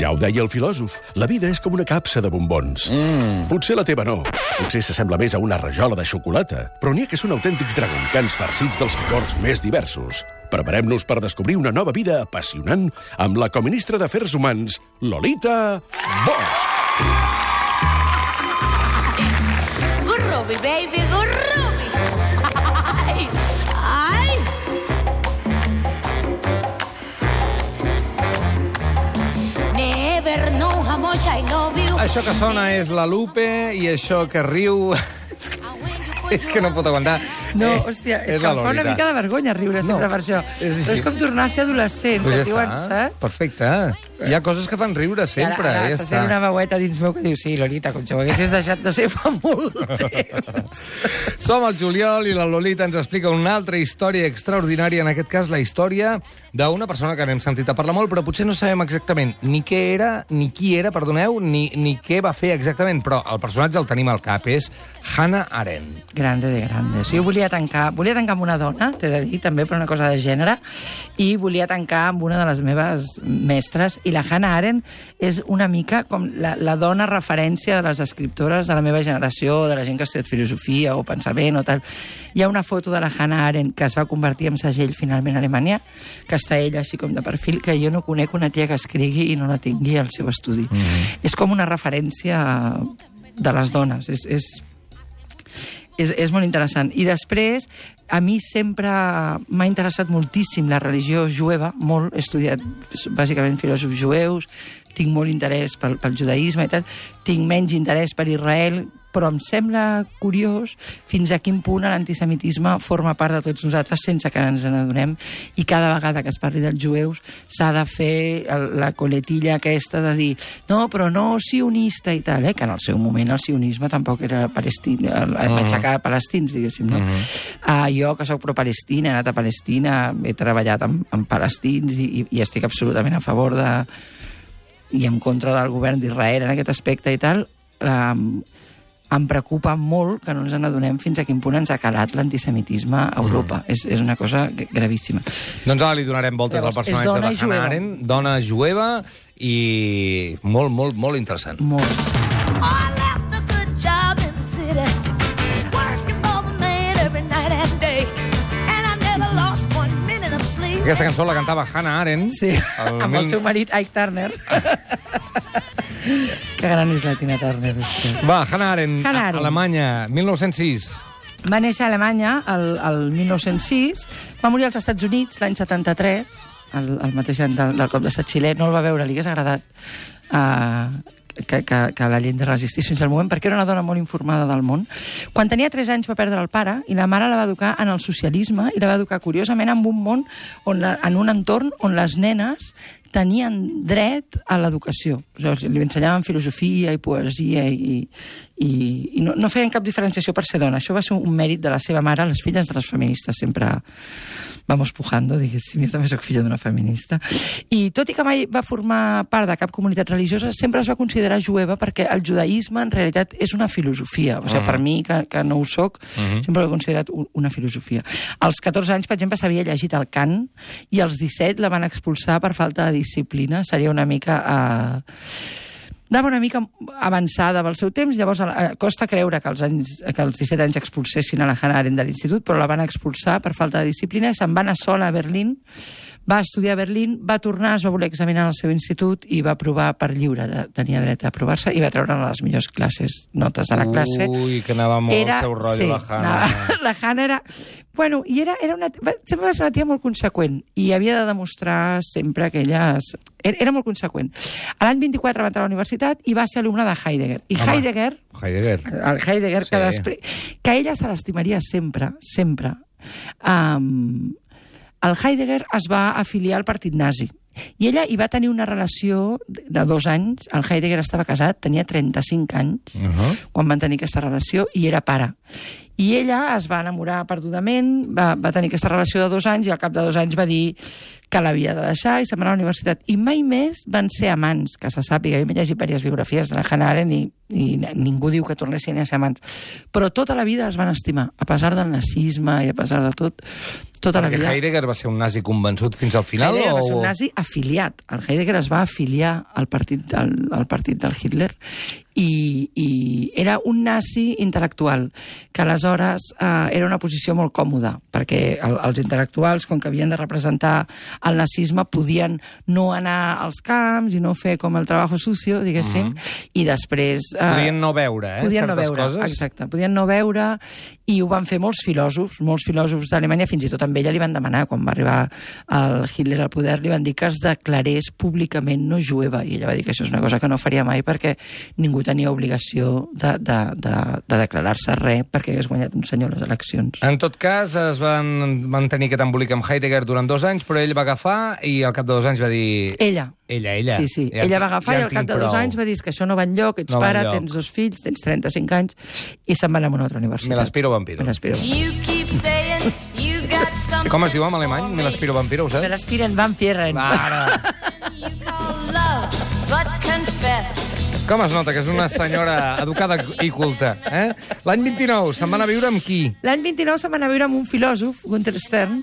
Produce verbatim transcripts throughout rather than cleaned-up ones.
Ja ho deia el filòsof, la vida és com una capsa de bombons. Mm. Potser la teva no, potser s'assembla més a una rajola de xocolata, però n'hi ha que són autèntics dragoncans farcits dels licors més diversos. Preparem-nos per descobrir una nova vida apassionant amb la coministra d'Afers Humans, Lolita Bosch. Gurrubi, baby, gurrubi! Ai, ai! Never know how much I love you. Això que sona és la Lupe i això que riu... és que no pot aguantar. No, Eh, hòstia, és, és que la em fa una Lolita. mica de vergonya riure sempre No, per això. és així. Però és com tornar a ser adolescent, Pues que ja diuen, està, saps? perfecte. Hi ha coses que fan riure sempre, ara, ara ja se està. sent una veueta dins meu que diu, sí, Lolita, com si ho haguessis deixat de ser fa molt temps. Som el Juliol i la Lolita ens explica una altra història extraordinària, en aquest cas la història d'una persona que n'hem sentit a parlar molt, però potser no sabem exactament ni què era, ni qui era, perdoneu, ni, ni què va fer exactament, però el personatge el tenim al cap, és Hannah Arendt. Grande de grandes. Jo volia tancar, volia tancar amb una dona, t'he de dir, també per una cosa de gènere, i volia tancar amb una de les meves mestres, i la Hannah Arendt és una mica com la, la dona referència de les escriptores de la meva generació, de la gent que ha estudiat filosofia o pensament o tal. Hi ha una foto de la Hannah Arendt que es va convertir en segell finalment a Alemanya, que està ella així com de perfil, que jo no conec una tia que escrigui i no la tingui al seu estudi. Mm-hmm. És com una referència de les dones. És, és, és, és molt interessant. I després, a mi sempre m'ha interessat moltíssim la religió jueva, molt, he estudiat bàsicament filòsofs jueus, tinc molt interès pel, pel judaïsme i tal, tinc menys interès per Israel, però em sembla curiós fins a quin punt l'antisemitisme forma part de tots nosaltres sense que ens n'adonem, i cada vegada que es parli dels jueus s'ha de fer el, la coletilla aquesta de dir no, però no sionista i tal, eh? Que en el seu moment el sionisme tampoc era palestí, el, el, aixecar palestins, diguéssim, no? Uh-huh. Uh, jo, que sóc pro-Palestina, he anat a Palestina, he treballat amb, amb palestins i, i, i estic absolutament a favor de... i en contra del govern d'Israel en aquest aspecte i tal. Uh, em preocupa molt que no ens n'adonem fins a quin punt ens ha calat l'antisemitisme a Europa. Mm. És, és una cosa gravíssima. Doncs ara li donarem voltes Llavors, al personatge de la Hannah jueva. Arendt, dona jueva, i molt, molt, molt interessant. Molt. I left a good job in the city, working for the man every night and day, and I never lost one minute of sleep. Aquesta cançó la cantava Hannah Arendt. Sí, el amb mil- el seu marit Ike Turner. Que gran és la Tina Turner. Va, Hannah Arendt, Hannah Arendt. Alemanya, mil nou-cents sis. Va néixer a Alemanya el, el mil nou-cents sis, va morir als Estats Units l'any setanta-tres, el, el mateix any del, del cop d'estat xilè. No el va veure, li hagués agradat uh, que, que, que la Allende resistís fins al moment, perquè era una dona molt informada del món. Quan tenia tres anys va perdre el pare, i la mare la va educar en el socialisme, i la va educar curiosament en un món, on la, en un entorn on les nenes tenien dret a l'educació. O sigui, li ensenyaven filosofia i poesia i, i, i no, no feien cap diferenciació per ser dona. Això va ser un mèrit de la seva mare. Les filles de les feministes sempre vamos pujando, diguéssim. Jo també soc filla d'una feminista. I tot i que mai va formar part de cap comunitat religiosa, sempre es va considerar jueva perquè el judaïsme en realitat és una filosofia. O sigui, uh-huh. per mi, que, que no ho soc, uh-huh. sempre l'he considerat una filosofia. Als catorze anys, per exemple, s'havia llegit el Kant, i als disset la van expulsar per falta de disciplina. Seria una mica... Eh... Anava una mica avançada pel seu temps, llavors eh, costa creure que als, anys, que als disset anys expulsessin a la Hannah Arendt de l'institut, però la van expulsar per falta de disciplina, se'n va anar sola a Berlín, va estudiar a Berlín, va tornar, es va voler examinar al seu institut i va aprovar per lliure, tenia dret a aprovar-se, i va treure les millors classes, notes de la classe. Ui, que anava molt era, el seu rotllo, sí, la Hannah. Anava, la Hannah era... Bueno, i era, era una, sempre va ser una tia molt conseqüent, i havia de demostrar sempre que ella... Era, era molt conseqüent. A l'any vint-i-quatre va entrar a la universitat i va ser alumna de Heidegger. I Home, Heidegger... Heidegger. El Heidegger, Sí. que després... Que ella se l'estimaria sempre, sempre. Um, el Heidegger es va afiliar al partit nazi. I ella hi va tenir una relació de dos anys. El Heidegger estava casat, tenia trenta-cinc anys, uh-huh. quan van tenir aquesta relació, i era pare. I ella es va enamorar perdudament, va, va tenir aquesta relació de dos anys i al cap de dos anys va dir que l'havia de deixar i se'n va anar a la universitat. I mai més van ser amants, que se sàpiga. Jo m'he llegit diverses biografies de la Hannah Arendt i, i ningú diu que tornessin a ser amants. Però tota la vida es van estimar, a pesar del nazisme i a pesar de tot, tota la Perquè vida... Heidegger va ser un nazi convençut fins al final? Heidegger o... va ser un nazi afiliat. El Heidegger es va afiliar al partit, al, al partit del Hitler i, i era un nazi intel·lectual, que aleshores eh, era una posició molt còmoda, perquè el, els intel·lectuals, com que havien de representar el nazisme, podien no anar als camps i no fer com el trabajo sucio, diguéssim, mm-hmm. i després... Eh, podien no veure, eh, podien certes no veure, coses. Exacte, podien no veure, i ho van fer molts filòsofs, molts filòsofs d'Alemanya, fins i tot amb ella li van demanar, quan va arribar el Hitler al poder, li van dir que es declarés públicament no jueva, i ella va dir que això és una cosa que no faria mai perquè ningú tenia obligació de, de, de, de declarar-se res perquè hagués guanyat un senyor a les eleccions. En tot cas, es van mantenir aquest embolic amb Heidegger durant dos anys, però ell va agafar i al cap de dos anys va dir... Ella. Ella, ella. Sí, sí. Ja, ella va agafar ja i al cap de dos prou. anys va dir que això no va enlloc, ets No va pare, enlloc. tens dos fills, tens trenta-cinc anys, i se'n va anar a una altra universitat. Me l'aspiro vampiro. Me l'aspiro. You keep saying you got something. Com es diu en alemany? Me l'aspiro vampiro, ho Me saps? l'aspiren vampiren. Ara! You call love, but confess. Com es nota que és una senyora educada i culta, eh? L'any vint-i-nou se'n va anar a viure amb qui? L'any vint-i-nou se'n va anar a viure amb un filòsof, Gunther Stern,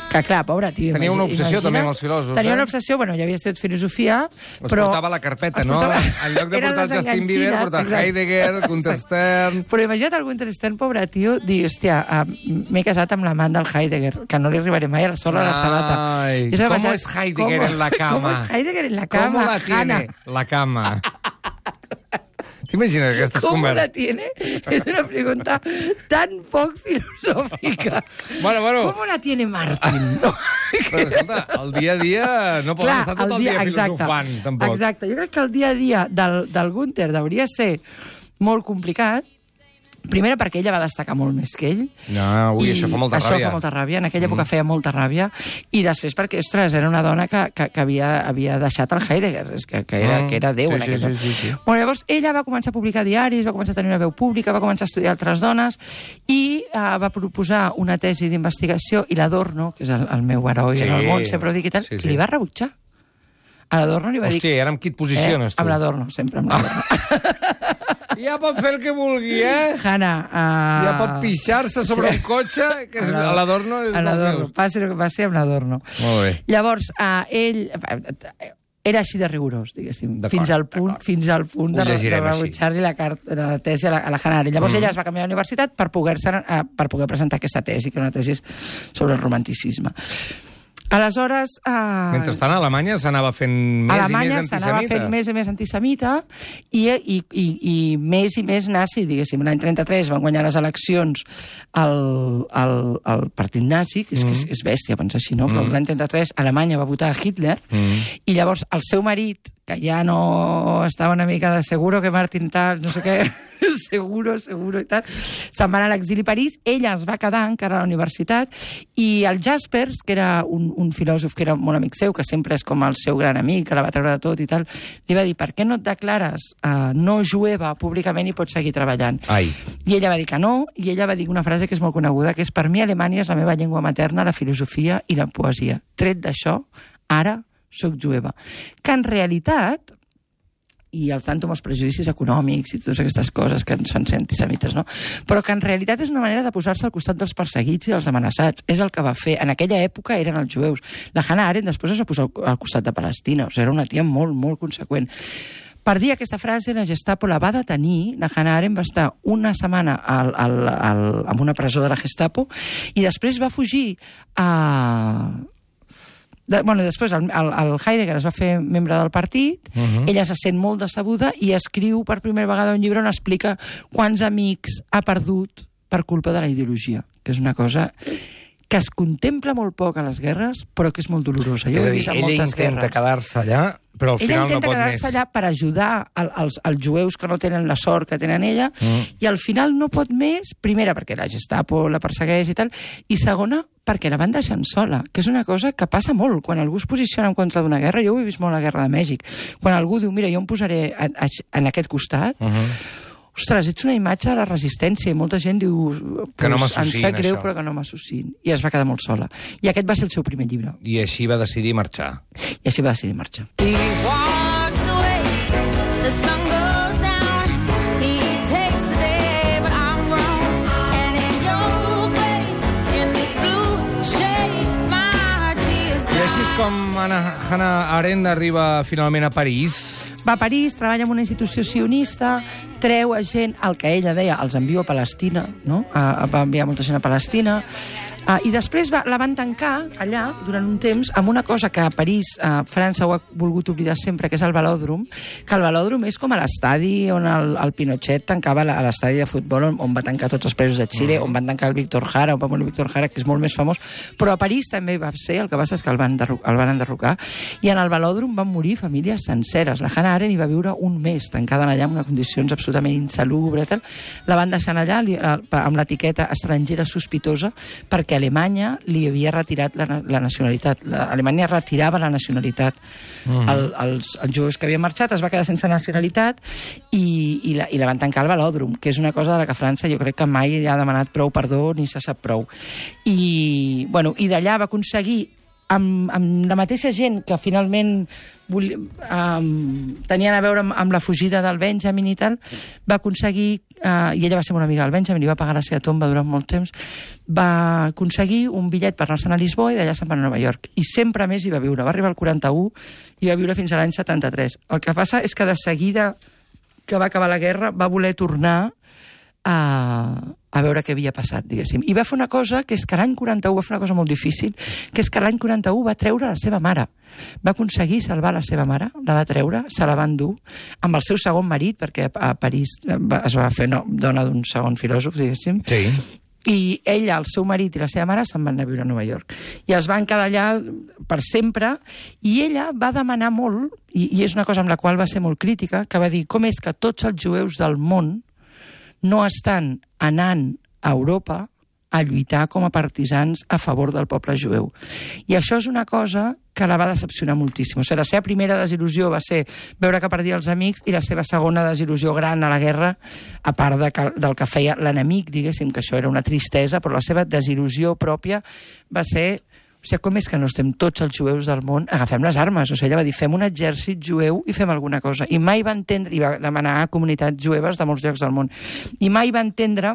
que clar, pobre tio. Tenia una obsessió imagina, també amb els filòsofs, Tenia eh? una obsessió, bueno, ja havia estudiat filosofia, Els però... portava a la carpeta, els no? portava- En lloc de Eren portar el les Justin Bieber, enganxines, portar exacte. Heidegger, Gunther Exacte. Stern... Però imagina't el Gunther Stern, pobre tio, dir, hòstia, uh, m'he casat amb l'amant del Heidegger, que no li arribaré mai a la sorra de la sabata. Ai, I jo ¿cómo pensava, es Heidegger ¿cómo- en la cama? ¿Cómo es Heidegger en la ¿Cómo cama, la tiene Hannah? la cama? T'imagines aquestes ¿Cómo la converses? tiene? Es una pregunta tan poc filosòfica. Bueno, bueno. ¿Cómo la tiene Martin? No. Però, escolta, el dia a dia no poden estar tot el dia, filosofant, tampoc. Exacte, jo crec que el dia a dia del, del Gunther hauria de ser molt complicat. Primera, perquè ella va destacar molt més que ell. No, ui, això fa molta això ràbia. fa molta ràbia. En aquella època mm. feia molta ràbia. I després perquè, ostres, era una dona que, que, que havia, havia deixat el Heidegger, que, que, era, Mm. que era Déu Sí, en sí, aquella... sí, sí, sí. Bueno, llavors, ella va començar a publicar diaris, va començar a tenir una veu pública, va començar a estudiar altres dones i uh, va proposar una tesi d'investigació i l'Adorno, que és el, el meu heroi Sí. en el món, sempre ho dic i tal, Sí, sí. li va rebutjar. A l'Adorno li va dir... Hòstia, i ara amb qui et posiciones, eh, tu? amb l'Adorno, sempre amb l'Adorno. Ja pot fer el que vulgui, eh? Hannah... Uh... Ja pot pixar-se sobre un cotxe, que és a l'Adorno... és A dels l'Adorno, meus. passi el que passi amb l'Adorno. Molt bé. Llavors, uh, ell era així de rigorós, diguéssim, D'acord, fins al punt, d'acord. fins al punt de, Ho de llegirem així. rebutjar-li la, carta, la tesi a la, a la Hannah Arendt. Llavors mm. ella es va canviar a la universitat per poder, uh, per poder presentar aquesta tesi, que era una tesi sobre el romanticisme. Aleshores... Uh, Mentrestant, a Alemanya s'anava fent més Alemanya i més s'anava antisemita. fent més i més antisemita i, i, i, i més i més nazi, diguéssim. L'any trenta-tres van guanyar les eleccions al, al, al partit nazi, que és, mm. que és, és bèstia pensar així, no? Però Mm. l'any trenta-tres Alemanya va votar a Hitler Mm. i llavors el seu marit, que ja no estava una mica de seguro que Martin tal, no sé què, seguro, seguro i tal, se'n va anar a l'exili a París, ella es va quedar encara a la universitat i el Jaspers, que era un, un filòsof que era molt amic seu, que sempre és com el seu gran amic, que la va treure de tot i tal, li va dir, per què no et declares uh, no jueva públicament i pots seguir treballant? Ai. I ella va dir que no, i ella va dir una frase que és molt coneguda, que és, per mi Alemanya és la meva llengua materna, la filosofia i la poesia. Tret d'això, ara soc jueva. Que en realitat, i al tanto amb els prejudicis econòmics i totes aquestes coses que ens fan ser antisemites, no? Però que en realitat és una manera de posar-se al costat dels perseguits i dels amenaçats. És el que va fer. En aquella època eren els jueus. La Hannah Arendt després es va posar al costat de Palestina. O sigui, era una tia molt, molt conseqüent. Per dir aquesta frase, la Gestapo la va detenir, la Hannah Arendt va estar una setmana al, al, al, en una presó de la Gestapo i després va fugir a... De, bueno, després el, el, el Heidegger es va fer membre del partit, uh -huh. ella se sent molt decebuda i escriu per primera vegada un llibre on explica quants amics ha perdut per culpa de la ideologia, que és una cosa que es contempla molt poc a les guerres, però que és molt dolorosa. Jo És ho a he dir, vist en ella moltes intenta guerres. quedar-se allà, però al Ella final no intenta pot més. quedar-se allà per ajudar el, els, els jueus que no tenen la sort que tenen ella, Mm. i al final no pot més, primera perquè la Gestapo la persegueix i tal, i segona perquè la van deixant sola, que és una cosa que passa molt. Quan algú es posiciona en contra d'una guerra, jo ho he vist molt a la Guerra de Mèxic, quan algú diu, mira, jo em posaré a, a, en aquest costat, Uh -huh. ostres, ets una imatge de la resistència, i molta gent diu, que no pues, em m'associïn, sap greu, això. però que no m'associïn. I es va quedar molt sola. I aquest va ser el seu primer llibre. I així va decidir marxar. I així va decidir marxar. He walks away, the sun goes down, he takes the day, but I'm wrong, and in your grave, in this blue shade, my tears I així és com Hannah, Hannah Arendt arriba finalment a París. Va a París, treballa en una institució sionista, treu a gent, el que ella deia, els envio a Palestina, no? A, va enviar molta gent a Palestina, Uh, I després va, la van tancar allà, durant un temps, amb una cosa que a París, a França, ho ha volgut oblidar sempre, que és el velòdrom, que el velòdrom és com a l'estadi on el, el Pinochet tancava la, a l'estadi de futbol, on, on va tancar tots els presos de Xile, mm. on van tancar el Víctor Jara, on va morir el Víctor Jara, que és molt més famós, però a París també va ser, el que passa és que el van, el van enderrocar, i en el velòdrom van morir famílies senceres. La Hannah Arendt hi va viure un mes tancada allà en unes condicions absolutament insalubres, tal. La van deixar allà li, amb l'etiqueta estrangera sospitosa, perquè Alemanya li havia retirat la, la nacionalitat. La, Alemanya retirava la nacionalitat uh-huh. al, als, als jueus que havien marxat, es va quedar sense nacionalitat i, i, la, i la van tancar al velòdrom, que és una cosa de la que França jo crec que mai ha demanat prou perdó ni se sap prou. I, bueno, i d'allà va aconseguir amb, amb la mateixa gent que finalment vol, um, tenien a veure amb, amb la fugida del Benjamin i tal, va aconseguir, uh, i ella va ser una amiga del Benjamin, i va pagar la seva tomba durant molt temps, va aconseguir un bitllet per anar-se'n a Lisboa i d'allà se'n va a Nova York. I sempre més hi va viure. Va arribar al quaranta-u i va viure fins a l'any setanta-tres. El que passa és que de seguida que va acabar la guerra va voler tornar a, a veure què havia passat, diguéssim. I va fer una cosa, que és que l'any quaranta-u va fer una cosa molt difícil, que és que l'any quaranta-u va treure la seva mare. Va aconseguir salvar la seva mare, la va treure, se la va endur, amb el seu segon marit, perquè a París es va fer no, dona d'un segon filòsof, diguéssim. Sí. I ella, el seu marit i la seva mare se'n van anar a viure a Nova York. I es van quedar allà per sempre, i ella va demanar molt, i, i és una cosa amb la qual va ser molt crítica, que va dir com és que tots els jueus del món no estan anant a Europa a lluitar com a partisans a favor del poble jueu. I això és una cosa que la va decepcionar moltíssim. O sigui, la seva primera desil·lusió va ser veure que perdia els amics, i la seva segona desil·lusió gran a la guerra, a part de que, del que feia l'enemic, diguéssim, que això era una tristesa, però la seva desil·lusió pròpia va ser... O sigui, com és que no estem tots els jueus del món? Agafem les armes. O sigui, ella va dir, fem un exèrcit jueu i fem alguna cosa. I mai va entendre, i va demanar a comunitats jueves de molts llocs del món, i mai va entendre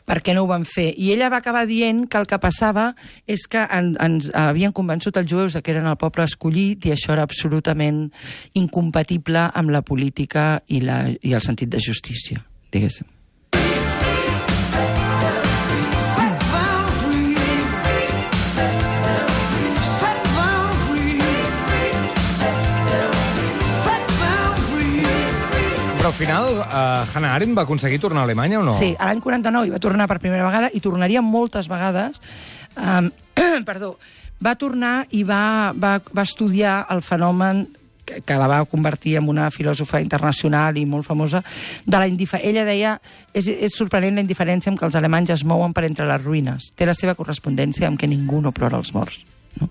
per què no ho van fer. I ella va acabar dient que el que passava és que en, ens havien convençut els jueus que eren el poble escollit, i això era absolutament incompatible amb la política i, la, i el sentit de justícia, diguéssim. Però al final, uh, Hannah Arendt va aconseguir tornar a Alemanya o no? Sí, a l'any quaranta-nou hi va tornar per primera vegada, i tornaria moltes vegades. Um, perdó, va tornar i va, va, va estudiar el fenomen que, que la va convertir en una filòsofa internacional i molt famosa, de la indiferència. Ella deia, és, és sorprenent la indiferència amb què els alemanys es mouen per entre les ruïnes. Té la seva correspondència amb que ningú no plora els morts. No?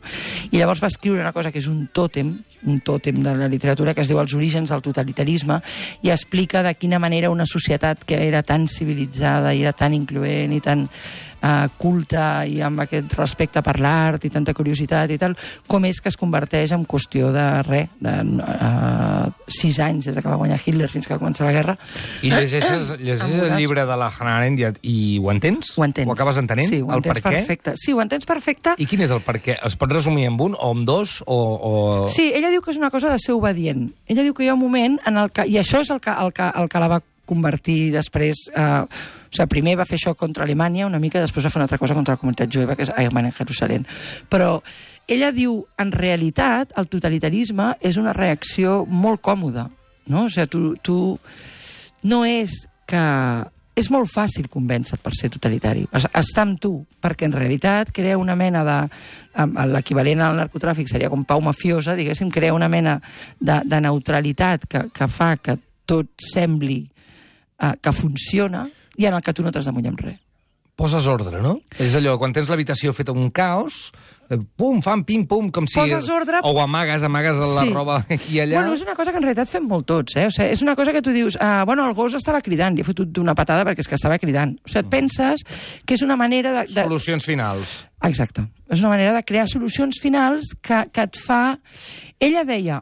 I llavors va escriure una cosa que és un tòtem, un tòtem de la literatura, que es diu Els orígens del totalitarisme, i explica de quina manera una societat que era tan civilitzada i era tan incloent i tan uh, culta i amb aquest respecte per l'art i tanta curiositat i tal, com és que es converteix en qüestió de res, de uh, sis anys des que va guanyar Hitler fins que va començar la guerra. I llegeixes, llegeixes el llibre de la Hannah Arendt i, i ho entens? Ho entens. Ho acabes entenent? Sí, ho el entens per què? perfecte. Sí, ho entens perfecte. I quin és el per què? Es pot resumir en un o en dos? O, o... Sí, ella diu que és una cosa de ser obedient. Ella diu que hi ha un moment en el que... I això és el que, el que, el que la va convertir després... Eh, o sigui, primer va fer això contra Alemanya una mica, després va fer una altra cosa contra la comunitat jueva, que és Eichmann en Jerusalem. Però ella diu, en realitat, el totalitarisme és una reacció molt còmoda. No? O sigui, tu, tu... No és que... És molt fàcil convèncer per ser totalitari. Està amb tu, perquè en realitat crea una mena de... L'equivalent al narcotràfic seria com pau mafiosa, diguéssim, crea una mena de, de neutralitat que, que fa que tot sembli uh, que funciona, i en el que tu no t'has de mullar amb res. Poses ordre, no? És allò, quan tens l'habitació feta un caos, eh, pum, fam, pim, pum, com si... Poses ordre... O amagues, amagues la Sí. roba aquí i allà. Bueno, és una cosa que en realitat fem molt tots, eh? O sigui, és una cosa que tu dius, ah, bueno, el gos estava cridant, li he fotut una patada perquè és que estava cridant. O sigui, et penses que és una manera de... de... Solucions finals. Exacte. És una manera de crear solucions finals que, que et fa... Ella deia,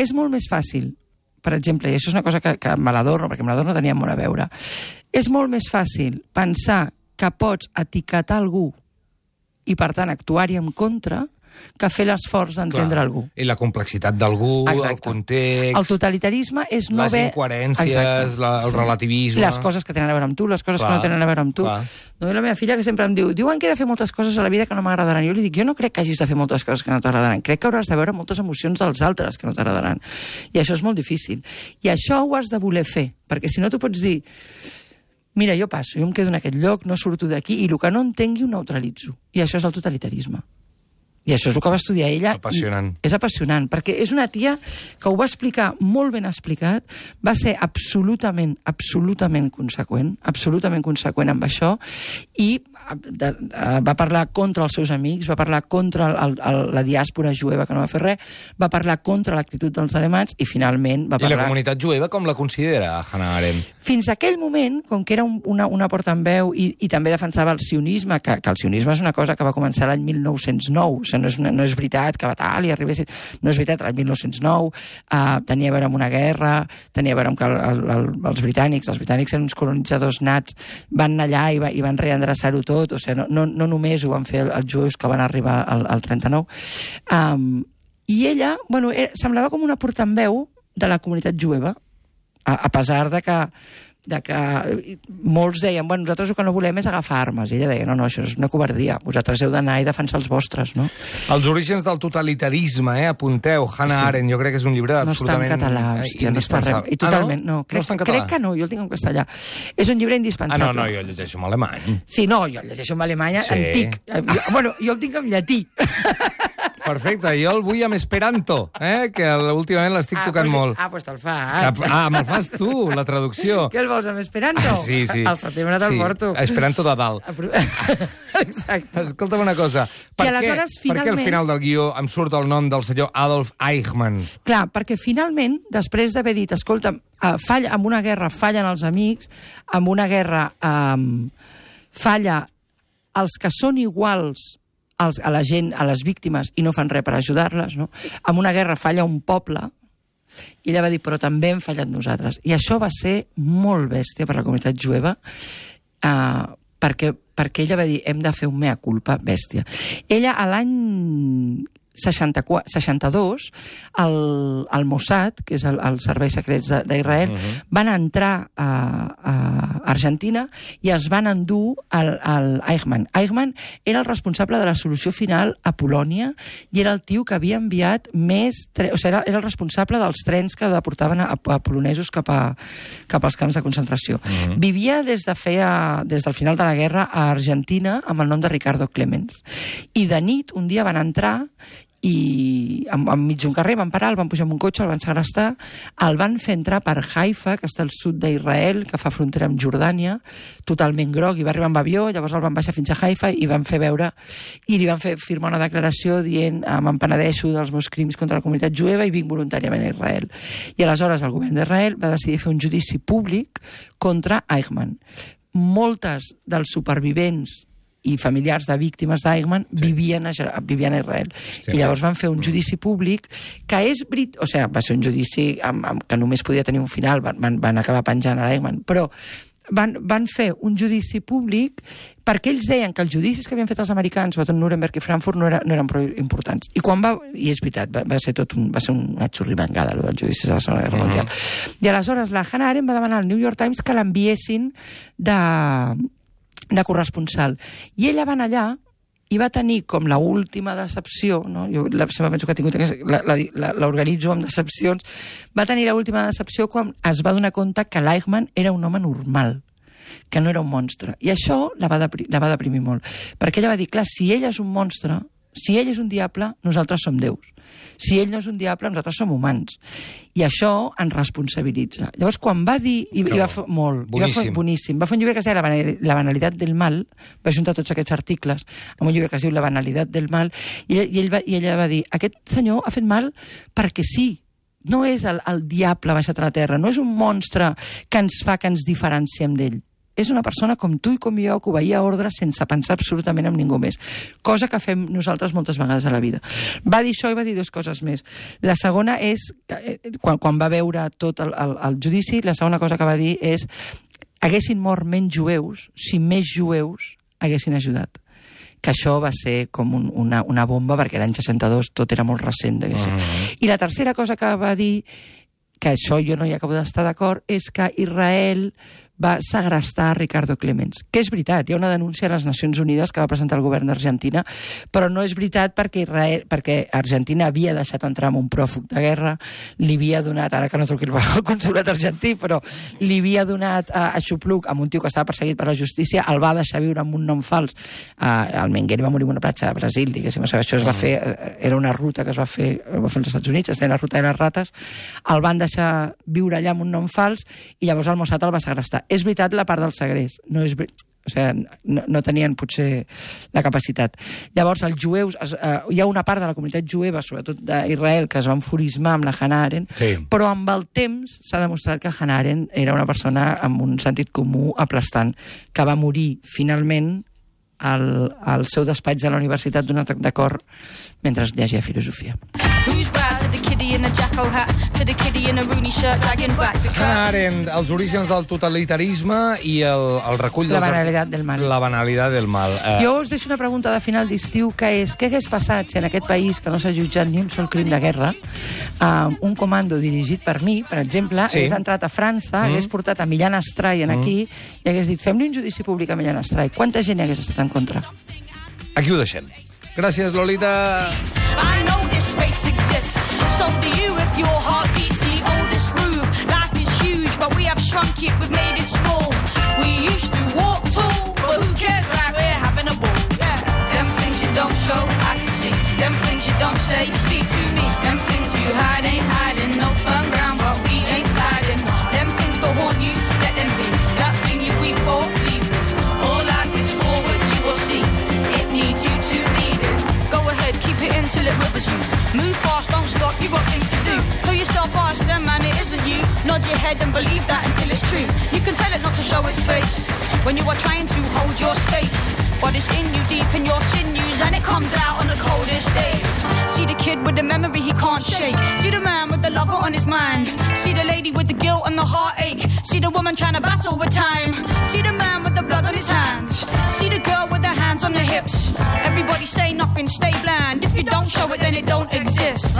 és molt més fàcil, per exemple, i això és una cosa que, que me l'adorno, perquè me l'adorno tenia molt a veure, és molt més fàcil pensar que pots etiquetar algú i, per tant, actuar-hi en contra que fer l'esforç d'entendre Clar. algú. I la complexitat d'algú, Exacte. el context... El totalitarisme és no les haver... incoherències, Exacte. la, el relativisme... Les coses que tenen a veure amb tu, les coses Clar. que no tenen a veure amb tu. Clar. No, i la meva filla que sempre em diu, diuen que he de fer moltes coses a la vida que no m'agradaran. Jo li dic, jo no crec que hagis de fer moltes coses que no t'agradaran. Crec que hauràs de veure moltes emocions dels altres que no t'agradaran. I això és molt difícil. I això ho has de voler fer, perquè si no tu pots dir, mira, jo passo, jo em quedo en aquest lloc, no surto d'aquí, i el que no entengui ho neutralitzo. I això és el totalitarisme. I això és el que va estudiar ella. Apassionant. És apassionant, perquè és una tia que ho va explicar molt ben explicat, va ser absolutament, absolutament conseqüent, absolutament conseqüent amb això, i de, de, va parlar contra els seus amics, va parlar contra el, el, la diàspora jueva, que no va fer res, va parlar contra l'actitud dels alemans, i finalment va I parlar... la comunitat jueva com la considera, Hannah Arendt? Fins a aquell moment, com que era un, una, una porta en veu i, i també defensava el sionisme, que, que el sionisme és una cosa que va començar l'any mil nou-cents nou, o sigui, no és, una, no és veritat que Batall i arribessin... No és veritat, l'any mil nou-cents nou uh, tenia a veure amb una guerra, tenia a veure amb que el, el, el, els britànics, els britànics eren uns colonitzadors nats, van anar allà i, va, i van reendreçar-ho tot, o sigui, no, no, no només ho van fer els jueus que van arribar al, al trenta-nou. Um, I ella, bueno, era, semblava com una portaveu de la comunitat jueva, a, a pesar de que de que molts deien, bueno, nosaltres el que no volem és agafar armes. I ella deia, no, no, això és una covardia. Vosaltres heu d'anar i defensar els vostres, no? Els orígens del totalitarisme, eh? Apunteu, Hannah Sí. Arendt, jo crec que és un llibre No està en absolutament català, hòstia, no està res. indispensable. I totalment, ah, no? no, crec, no està en català? crec que no, jo el tinc en castellà. És un llibre Ah, indispensable. no, no, jo llegeixo en alemany. Sí, no, jo el llegeixo en alemany Sí. antic. Eh, Jo, bueno, jo el tinc en llatí. Perfecte, jo el vull amb esperanto, eh? Que últimament l'estic Ah, tocant pues, molt. Ah, doncs te'l faig. Ah, me'l fas tu, la traducció. Què el vols amb Esperanto? Ah, sí, sí. Al setembre te'l sí. porto. Esperanto de dalt. Exacte. Escolta'm una cosa. Per, I què, aleshores, per què al finalment- final del guió em surt el nom del senyor Adolf Eichmann? Clar, perquè finalment, després d'haver dit, escolta, uh, falla, amb una guerra fallen els amics, amb una guerra um, falla els que són iguals als, a la gent, a les víctimes, i no fan res per ajudar-les, no? Amb una guerra falla un poble, i ella va dir, però també hem fallat nosaltres. I això va ser molt bèstia per la comunitat jueva, uh, perquè, perquè ella va dir, hem de fer un mea culpa bèstia. Ella, a l'any seixanta-quatre, seixanta-dos, el, el Mossad, que és el, el serveis secrets d'Israel, uh -huh. van entrar a, a Argentina i es van endur el, el Eichmann. Eichmann era el responsable de la solució final a Polònia i era el tio que havia enviat més... Tre... O sigui, era, era el responsable dels trens que deportaven a, a polonesos cap, a, cap als camps de concentració. Uh -huh. Vivia des, de feia, des del final de la guerra a Argentina amb el nom de Ricardo Clemens. I de nit, un dia van entrar i enmig d'un carrer van parar, el van pujar amb un cotxe, el van segrestar, el van fer entrar per Haifa, que està al sud d'Israel, que fa frontera amb Jordània, totalment groc, i va arribar amb avió, llavors el van baixar fins a Haifa i van fer veure, i li van fer firmar una declaració dient, me'n penedeixo dels meus crims contra la comunitat jueva i vinc voluntàriament a Israel. I aleshores el govern d'Israel va decidir fer un judici públic contra Eichmann. Moltes dels supervivents i familiars de víctimes d'Eichmann sí. vivien, a, vivien a Israel. Hòstia, I llavors van fer un judici públic que és... Brit... O sigui, va ser un judici amb, amb, que només podia tenir un final, van, van acabar penjant a l'Eichmann, però van, van fer un judici públic perquè ells deien que els judicis que havien fet els americans, sobretot Nuremberg i Frankfurt, no, era, no eren prou importants. I quan va... I és veritat, va, va ser tot un, va ser una xurrimangada, allò dels judicis de la Segona Guerra Mundial. Uh-huh. I aleshores la Hannah Arendt va demanar al New York Times que l'enviessin de... de corresponsal. I ella va anar allà i va tenir com la última decepció, no? Jo la, sempre penso que ha tingut, l'organitzo amb decepcions, va tenir la última decepció quan es va donar compte que l'Eichmann era un home normal, que no era un monstre. I això la va, depri, la va deprimir molt. Perquè ella va dir, clar, si ell és un monstre, si ell és un diable, nosaltres som déus. Si ell no és un diable, nosaltres som humans. I això ens responsabilitza. Llavors, quan va dir... I, i va fer molt. Boníssim. I va fer, boníssim. Va fer un llibre que es deia La, banal, la banalitat del mal, va juntar tots aquests articles amb un llibre que es diu La banalitat del mal, i, i, ell va, i ella va dir, aquest senyor ha fet mal perquè sí. No és el, el diable baixat a la terra, no és un monstre que ens fa que ens diferenciem d'ell. És una persona com tu i com jo que obeïa ordres sense pensar absolutament en ningú més. Cosa que fem nosaltres moltes vegades a la vida. Va dir això i va dir dues coses més. La segona és, que, quan, quan va veure tot el, el, el judici, la segona cosa que va dir és haguessin mort menys jueus si més jueus haguessin ajudat. Que això va ser com un, una, una bomba, perquè l'any seixanta-dos tot era molt recent. Mm-hmm. I la tercera cosa que va dir, que això jo no hi acabo d'estar d'acord, és que Israel va segrestar a Ricardo Clemens. Que és veritat, hi ha una denúncia a les Nacions Unides que va presentar el govern d'Argentina, però no és veritat perquè, Israel, perquè Argentina havia deixat entrar amb un pròfug de guerra, li havia donat, ara que no truqui el consolat argentí, però li havia donat a, a Xupluc, amb un tio que estava perseguit per la justícia, el va deixar viure amb un nom fals. Uh, el Menguer va morir en una platja de Brasil, diguéssim. O sigui, això es va fer, era una ruta que es va fer, es va fer als Estats Units, es deia la ruta de les rates, el van deixar viure allà amb un nom fals i llavors el Mossad el va segrestar. És veritat la part del segrest, no és veritat. O sigui, no, no tenien potser la capacitat. Llavors, els jueus, es, eh, hi ha una part de la comunitat jueva, sobretot d'Israel, que es va enfurismar amb la Hannah Arendt, sí. Però amb el temps s'ha demostrat que Hannah Arendt era una persona amb un sentit comú aplastant, que va morir finalment al, al seu despatx de la universitat d'un atac de cor mentre llegia filosofia. Hannah Arendt, els orígens del totalitarisme i el, el recull... La dels... banalitat del mal. La banalitat del mal. Eh... Jo us deixo una pregunta de final d'estiu, que és, què hagués passat si en aquest país que no s'ha jutjat ni un sol crim de guerra, um, un comando dirigit per mi, per exemple, sí. hagués entrat a França, mm. hagués portat a Millán Astray en aquí mm. i hagués dit, fem-li un judici públic a Millán Astray. Quanta gent hi hagués estat en contra? Aquí ho deixem. Gràcies, Lolita. I know this space exists. So do you if your heart beats the oldest groove. Life is huge, but we have shrunk it, we've made it small. We used to walk tall, but who cares, right? We're having a ball. Yeah. Them things you don't show, I can see. Them things you don't say, you speak to me. Them things you hide ain't hiding. No firm ground, but we ain't sliding. Them things that haunt you, let them be. That thing you weep for, leave it. All life is forward, you will see. It needs you to lead it. Go ahead, keep it in till it rivers you. Move fast, don't stop, you got things to do. Tell yourself, ask them, man, it isn't you. Nod your head and believe that until it's true. You can tell it not to show its face when you are trying to hold your space. But it's in you, deep in your sinews, and it comes out on the coldest days. See the kid with the memory he can't shake. See the man with the lover on his mind. See the lady with the guilt and the heartache. See the woman trying to battle with time. See the man with the blood on his hands. See the girl with her hands on the hips. Everybody say nothing, stay bland. If you don't show it, then it don't exist.